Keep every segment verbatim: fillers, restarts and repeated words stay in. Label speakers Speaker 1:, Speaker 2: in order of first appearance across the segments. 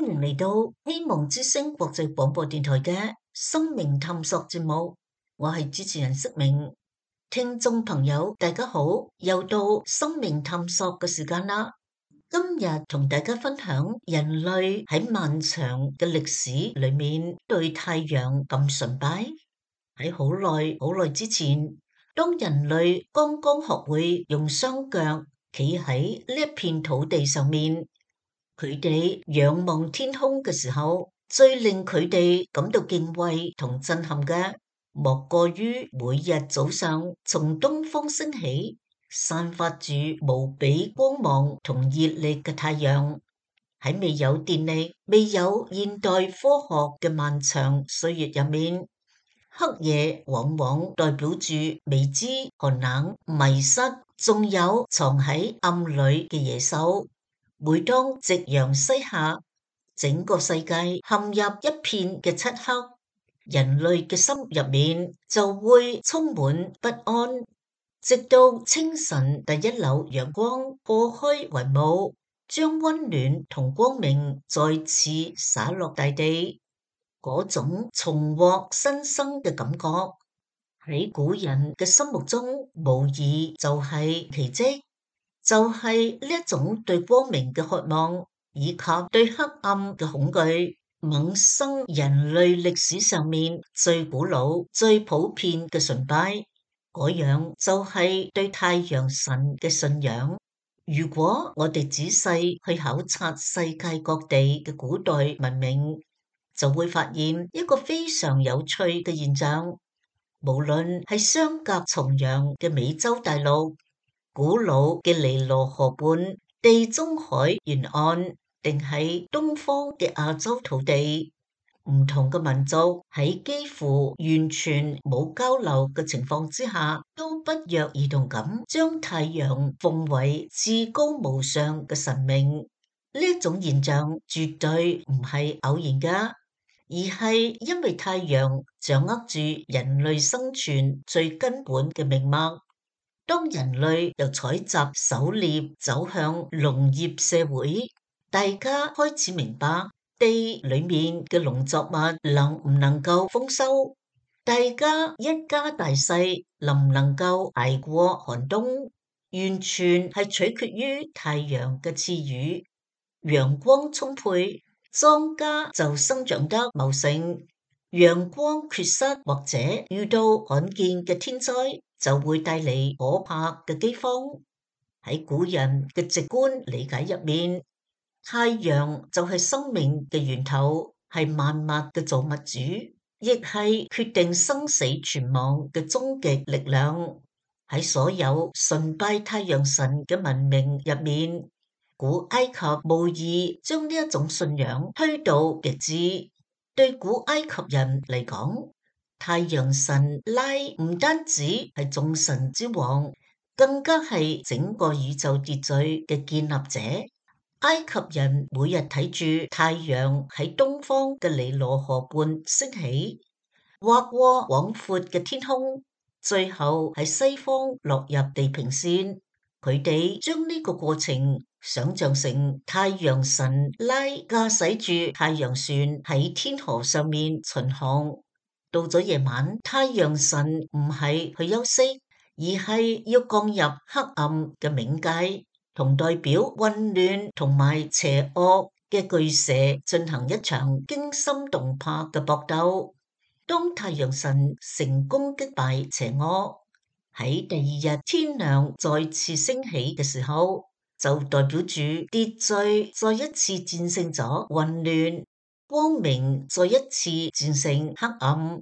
Speaker 1: 歡迎嚟到希望之聲國際廣播電台嘅生命探索節目，我係主持人釋明。聽眾朋友大家好，又到生命探索嘅時間啦。今日同大家分享人類喺漫長嘅歷史裏面對太陽咁崇拜。喺好耐好耐之前，當人類剛剛學會用雙腳企喺呢一片土地上面，佢哋仰望天空嘅時候，最令佢哋感到敬畏同震撼嘅，莫過於每日早上從東方升起，散發住無比光芒同熱力嘅太陽。喺未有電力、未有現代科學嘅漫長歲月入面，黑夜往往代表住未知、寒冷、迷失，仲有藏喺暗裏嘅野獸。每當夕陽西下，整個世界陷入一片嘅漆黑，人類嘅心入面就會充滿不安，直到清晨第一縷陽光破開雲霧，將溫暖同光明再次灑落大地。嗰種重獲新生嘅感覺，喺古人嘅心目中，無疑就係奇蹟。就係呢一種對光明嘅渴望，以及對黑暗嘅恐懼，萌生人類歷史上面最古老、最普遍嘅崇拜。嗰樣就係對太陽神嘅信仰。如果我哋仔細去考察世界各地嘅古代文明，就會發現一個非常有趣嘅現象。無論係相隔重洋嘅美洲大陸，古老嘅尼羅河畔、地中海沿岸，定係東方嘅亞洲土地，唔同嘅民族喺幾乎完全冇交流嘅情況之下，都不約而同咁將太陽奉為至高無上嘅神明。呢一種現象絕對唔係偶然噶，而係因為太陽掌握住人類生存最根本嘅命脈。當人類由採集狩獵走向農業社會，大家開始明白地裏面嘅農作物能唔能夠豐收，大家一家大細能唔能夠捱過寒冬，完全係取決於太陽嘅賜予。陽光充沛，莊稼就生長得茂盛；陽光缺失或者遇到罕見嘅天災，就會帶嚟可怕嘅饑荒。喺古人嘅直觀理解入面，太陽就係生命嘅源頭，係萬物嘅造物主，亦係決定生死存亡嘅終極力量。喺所有崇拜太陽神嘅文明入面，古埃及無疑將呢一種信仰推到極致。對古埃及人嚟講，太陽神拉唔單止係眾神之王，更加係整個宇宙秩序嘅建立者。埃及人每日睇住太陽喺東方嘅尼羅河畔升起，劃過廣闊嘅天空，最後喺西方落入地平線。佢哋將呢個過程想象成太陽神拉駕駛住太陽船喺天河上面巡航。到咗夜晚，太陽神唔係去休息，而係要降入黑暗嘅冥界，同代表混亂同埋邪惡嘅巨蛇進行一場驚心動魄嘅搏鬥。當太陽神成功擊敗邪惡，喺第二日天亮再次升起嘅時候，就代表住秩序再一次戰勝咗混亂，光明再一次戰勝黑暗。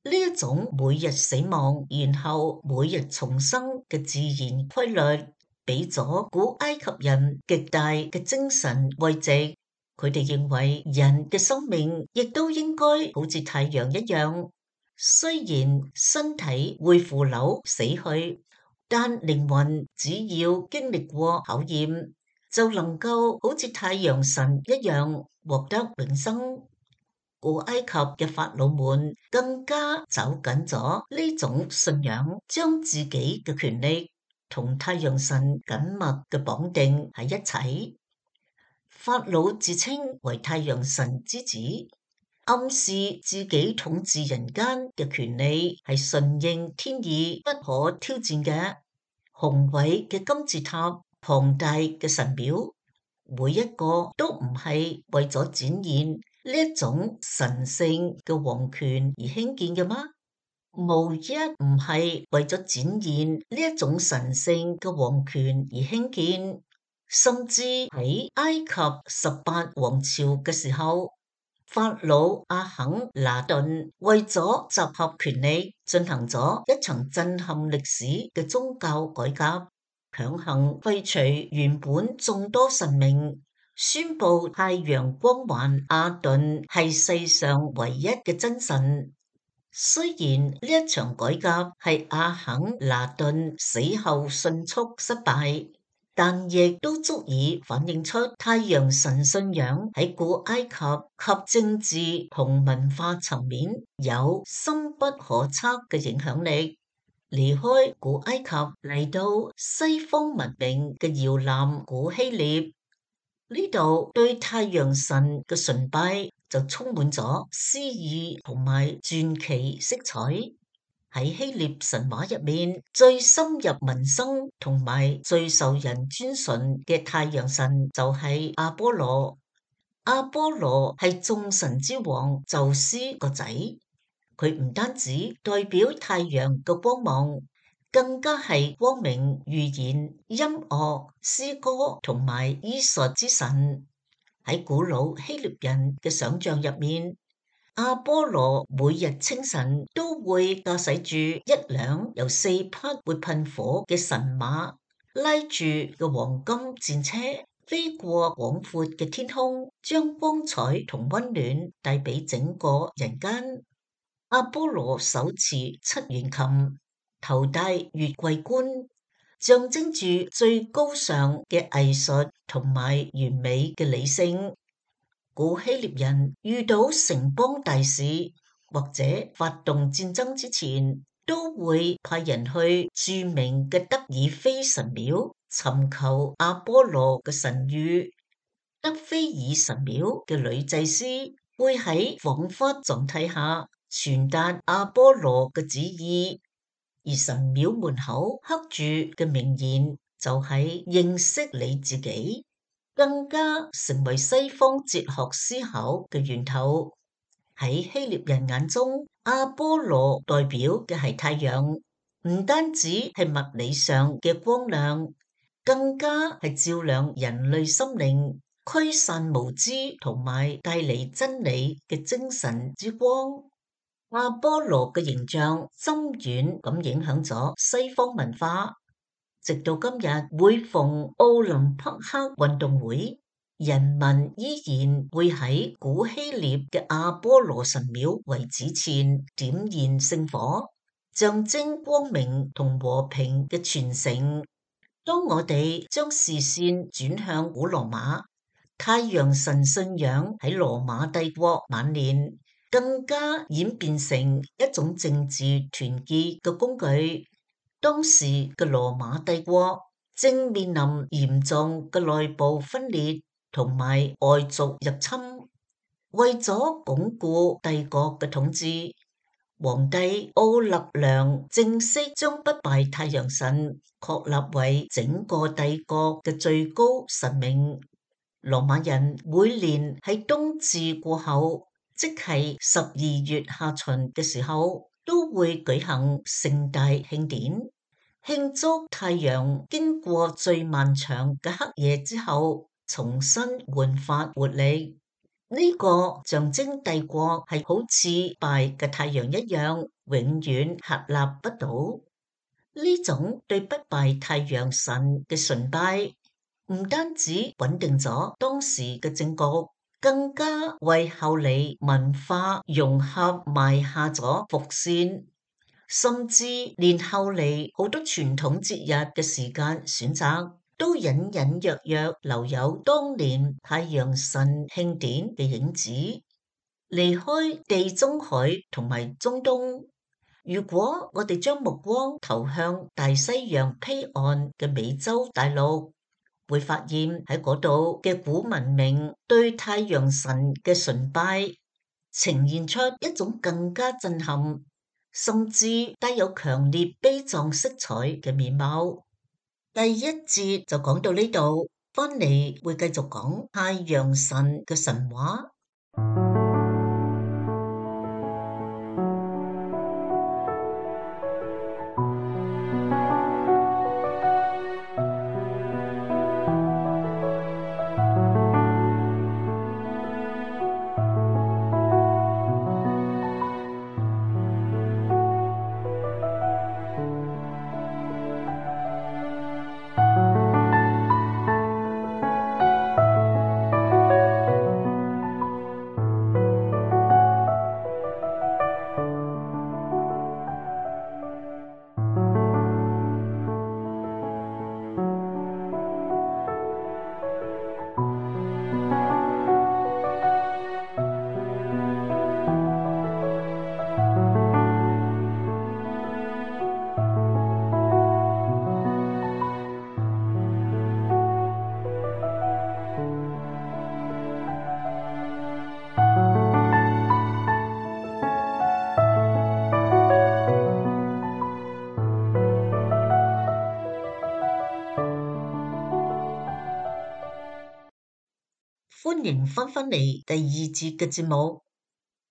Speaker 1: 呢一種每日死亡然後每日重生嘅自然規律，俾咗古埃及人極大嘅精神慰藉。佢哋認為人嘅生命亦都應該好似太陽一樣，雖然身體會腐朽死去，但靈魂只要經歷過考驗，就能夠好似太陽神一樣獲得永生。古埃及嘅法老們更加走緊咗呢種信仰，將自己嘅權力同太陽神緊密嘅綁定喺一齊。法老自稱為太陽神之子，暗示自己統治人間嘅權利係順應天意，不可挑戰嘅。宏偉嘅金字塔、龐大嘅神廟，每一個都唔係為咗展現呢一種神聖嘅皇權而興建嘅嗎？無一唔係為咗展現呢一種神聖嘅皇權而興建。甚至喺埃及十八王朝嘅時候，法老阿肯拿頓為咗集合權力，進行咗一場震撼歷史嘅宗教改革，強行廢除原本眾多神明，宣布太陽光環阿頓係世上唯一嘅真神。雖然呢一場改革係阿肯拿頓死後迅速失敗，但亦都足以反映出太陽神信仰喺古埃及及政治同文化層面有深不可測嘅影響力。離開古埃及嚟到西方文明嘅搖籃古希臘，呢度對太陽神嘅崇拜就充滿咗詩意同埋傳奇色彩。喺希臘神話入面，最深入民生同埋最受人尊崇嘅太陽神就係阿波羅。阿波羅係眾神之王宙斯個仔，佢唔單止代表太陽嘅光芒，更加係光明、預言、音樂、詩歌同埋醫術之神。喺古老希臘人嘅想象入面，阿波羅每日清晨都會駕駛住一輛由四匹會噴火嘅神馬，拉住嘅黃金戰車，飛過廣闊嘅天空，將光彩同溫暖帶俾整個人間。阿波羅手持七弦琴，頭戴月桂冠，象徵住最高尚嘅藝術同埋完美嘅理性。古希臘人遇到城邦大事或者發動戰爭之前，都會派人去著名嘅德爾菲神廟尋求阿波羅嘅神諭。德菲爾神廟嘅女祭司會喺恍惚狀態下傳達阿波羅嘅旨意，而神廟門口刻住嘅名言就係認識你自己，更加成為西方哲學思考嘅源頭。喺希臘人眼中，阿波羅代表嘅係太陽，唔單止係物理上嘅光亮，更加係照亮人類心靈、驅散無知同埋帶嚟真理嘅精神之光。阿波羅嘅形象深遠咁影響咗西方文化，直到今日，每逢奧林匹克運動會，人民依然會喺古希臘嘅阿波羅神廟遺址前點燃聖火，象徵光明同和平嘅傳承。當我哋將視線轉向古羅馬，太陽神信仰喺羅馬帝國晚年更加演變成一種政治團結嘅工具。當時嘅羅馬帝國正面臨嚴重嘅內部分裂同埋外族入侵，為咗鞏固帝國嘅統治，皇帝奧勒良正式將不敗太陽神確立為整個帝國嘅最高神明。羅馬人每年喺冬至過後，即係十二月下旬嘅時候，都會舉行盛大慶典，慶祝太陽經過最漫長嘅黑夜之後，重新煥發活力。呢、這個象徵帝國係好似敗嘅太陽一樣，永遠屹立不倒。呢種對不敗太陽神嘅崇拜，唔單止穩定咗當時嘅政局，更加為後嚟文化融合埋下咗伏線，甚至連後嚟好多傳統節日嘅時間選擇，都隱隱約約留有當年太陽神慶典嘅影子。離開地中海同埋中東，如果我哋將目光投向大西洋彼岸嘅美洲大陸，會發現喺嗰度嘅古文明對太陽神嘅崇拜呈現出一種更加震撼，甚至帶有強烈悲壯色彩嘅面貌。第一節就講到呢度，翻嚟會繼續講太陽神嘅神話。歡迎翻返嚟第二節嘅節目。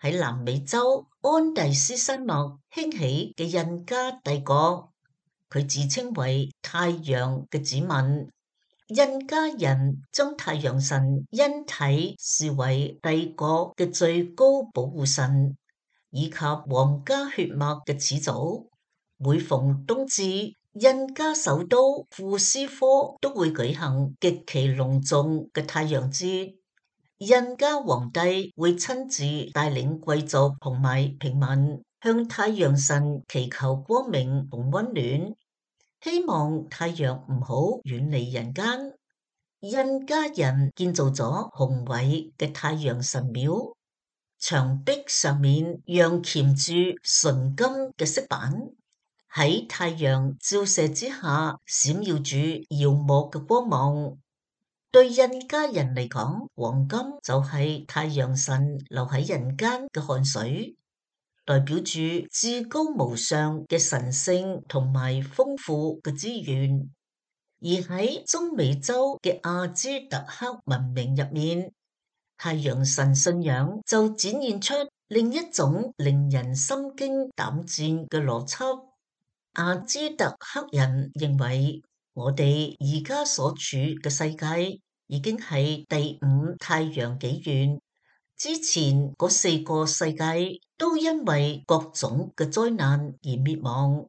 Speaker 1: 喺南美洲安第斯山脈興起嘅印加帝國，佢自稱為太陽嘅子民。印加人將太陽神因體視為帝國嘅最高保護神，以及皇家血脈嘅始祖。每逢冬至，印加首都庫斯科都會舉行極其隆重嘅太陽節。印加皇帝會親自帶領貴族同埋平民向太陽神祈求光明同溫暖，希望太陽唔好遠離人間。印加人建造咗宏偉嘅太陽神廟，牆壁上面鑲嵌住純金嘅色板，喺太陽照射之下閃耀住耀目嘅光芒。對印加人嚟講，黃金就係太陽神留喺人間嘅汗水，代表住至高無上嘅神聖同埋豐富嘅資源。而喺中美洲嘅阿茲特克文明入面，太陽神信仰就展現出另一種令人心驚膽戰嘅邏輯。阿茲特克人認為，我哋而家所處嘅世界已經係第五太陽紀元，之前嗰四個世界都因為各種嘅災難而滅亡。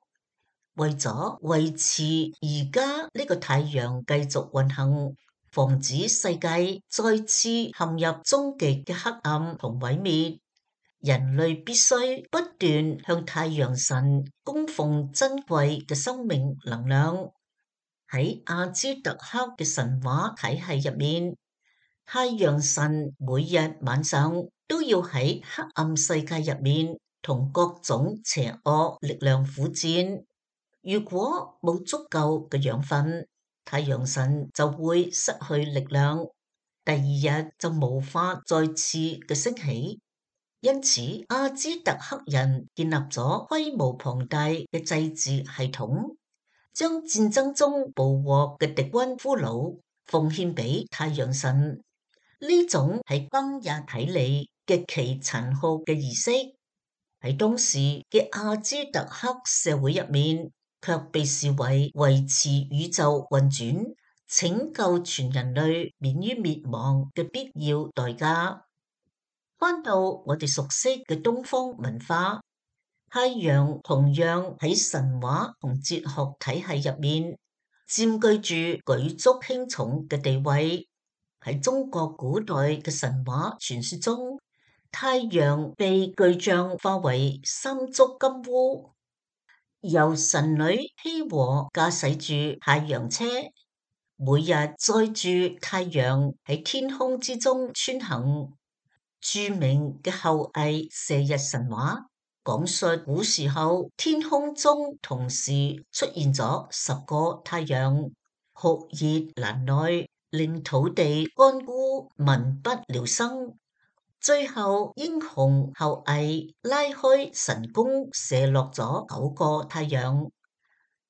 Speaker 1: 為咗維持而家呢個太陽繼續運行，防止世界再次陷入終極嘅黑暗同毀滅，人類必須不斷向太陽神供奉珍貴嘅生命能量。喺阿茲特克嘅神話體系入面，太陽神每日晚上都要喺黑暗世界入面同各種邪惡力量苦戰。如果冇足夠嘅養分，太陽神就會失去力量，第二日就無法再次嘅升起。因此，阿茲特克人建立咗規模龐大嘅祭祀系統，將戰爭中捕獲嘅敵軍俘虜奉獻俾太陽神。呢種係今日睇嚟極其殘酷嘅儀式，喺當時嘅阿茲特克社會入面，卻被視為維持宇宙運轉、拯救全人類免於滅亡嘅必要代價。翻到我哋熟悉嘅東方文化，太陽同樣喺神話同哲學體系入面佔據住舉足輕重嘅地位。喺中國古代嘅神話傳說中，太陽被巨象化為三足金烏，由神女羲和駕駛住太陽車，每日載住太陽喺天空之中穿行。著名嘅后羿射日神話講述古時候天空中同時出現咗十個太陽，酷熱難耐，令土地乾枯，民不聊生。最後英雄後羿拉開神弓，射落咗九個太陽，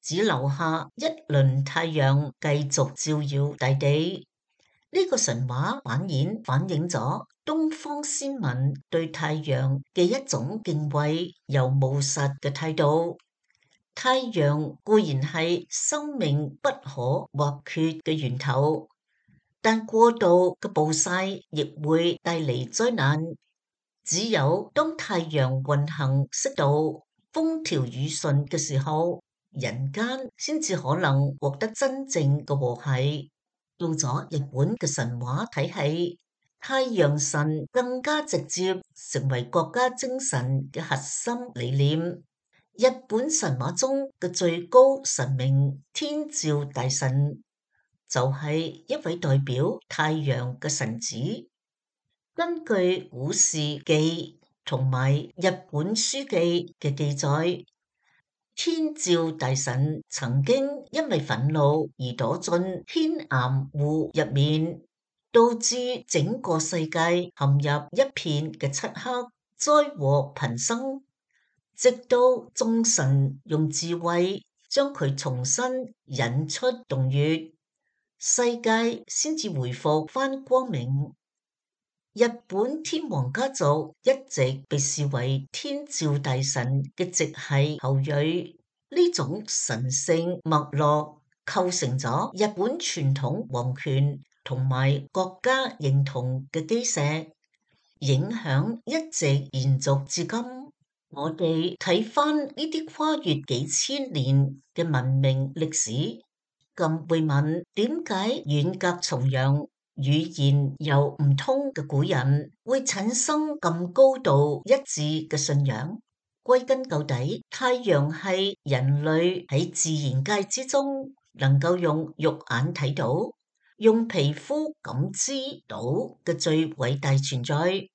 Speaker 1: 只留下一輪太陽繼續照耀大地。呢個神話反映反映咗東方先民對太陽嘅一種敬畏又務實嘅態度。太陽固然係生命不可或缺嘅源頭，但過度嘅暴曬亦會帶嚟災難。只有當太陽運行適度、風調雨順嘅時候，人間先至可能獲得真正嘅和諧。到咗日本嘅神話體系，太陽神更加直接成為國家精神嘅核心理念。日本神話中嘅最高神明天照大神，就係一位代表太陽嘅神子。根據古事記同埋日本書紀嘅記載，天照大神曾經因為憤怒而躲進天岩戶入面，導致整個世界陷入一片嘅漆黑，災禍頻生。直到眾神用智慧將佢重新引出洞穴，世界先至回復返光明。日本天皇家族一直被視為天照大神嘅直系後裔，呢種神聖脈絡構成咗日本傳統皇權同埋國家認同嘅基石，影響一直延續至今。我哋睇返呢啲跨越幾千年嘅文明歷史，咁會問點解遠隔重洋、語言又唔通嘅古人會產生咁高度一致嘅信仰？歸根究底，太陽係人類喺自然界之中能夠用肉眼睇到、用皮膚感知到嘅最偉大存在。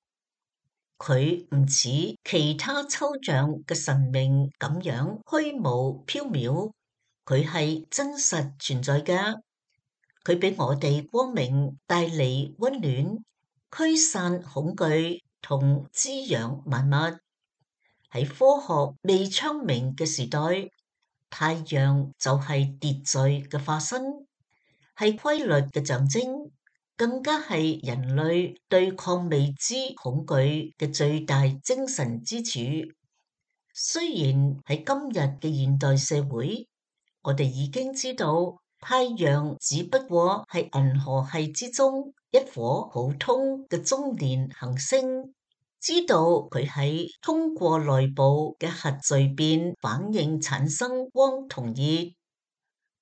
Speaker 1: 佢唔似其他抽象嘅神明咁樣虛無縹緲，佢係真實存在嘅。佢俾我哋光明，帶嚟溫暖，驅散恐懼同滋養萬物。喺科學未昌明嘅時代，太陽就係秩序嘅化身，係規律嘅象徵。更加係人類對抗未知恐懼嘅最大精神支柱。雖然喺今日嘅現代社會，我哋已經知道太陽只不過係銀河系之中一顆普通嘅中年行星，知道佢喺通過內部嘅核聚變反應產生光同熱，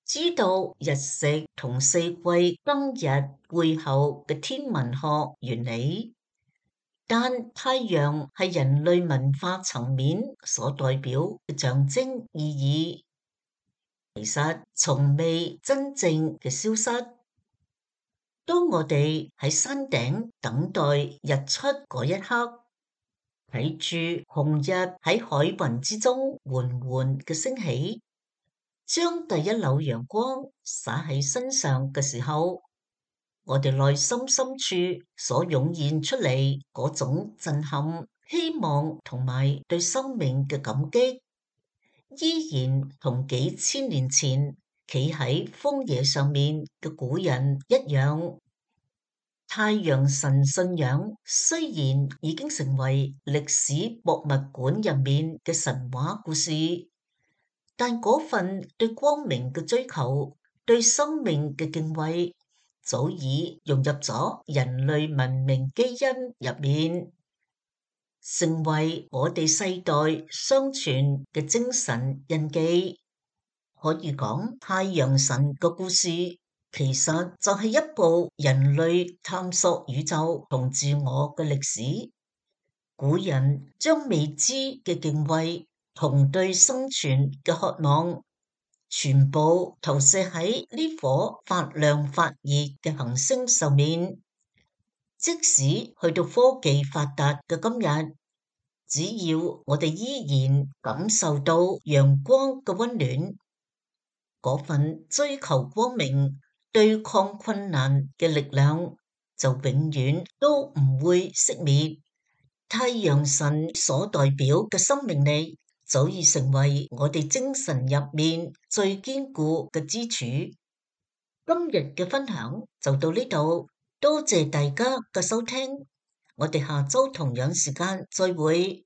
Speaker 1: 知道日食同四季更日背後嘅天文學原理，但太陽係人類文化層面所代表嘅象徵意義，其實從未真正嘅消失。當我哋喺山頂等待日出嗰一刻，睇住紅日喺海雲之中緩緩嘅升起，將第一縷陽光灑喺身上嘅時候，我哋內心深處所湧現出嚟嗰種震撼、希望同埋對生命嘅感激，依然同幾千年前企喺荒野上面嘅古人一樣。太陽神信仰雖然已經成為歷史博物館入面嘅神話故事，但嗰份對光明嘅追求、對生命嘅敬畏，早已融入咗人類文明基因入面，成為我哋世代相傳嘅精神印記。可以講，太陽神嘅故事其實就係一部人類探索宇宙同自我嘅歷史。古人將未知嘅敬畏同對生存嘅渴望，全部投射喺呢顆發亮發熱嘅行星上面。即使去到科技發達嘅今日，只要我哋依然感受到陽光嘅溫暖，嗰份追求光明對抗困難嘅力量就永遠都唔會熄滅。太陽神所代表嘅生命力早已成為我哋精神入面最堅固嘅支柱。今日嘅分享就到呢度，多謝大家嘅收聽，我哋下周同樣時間再會。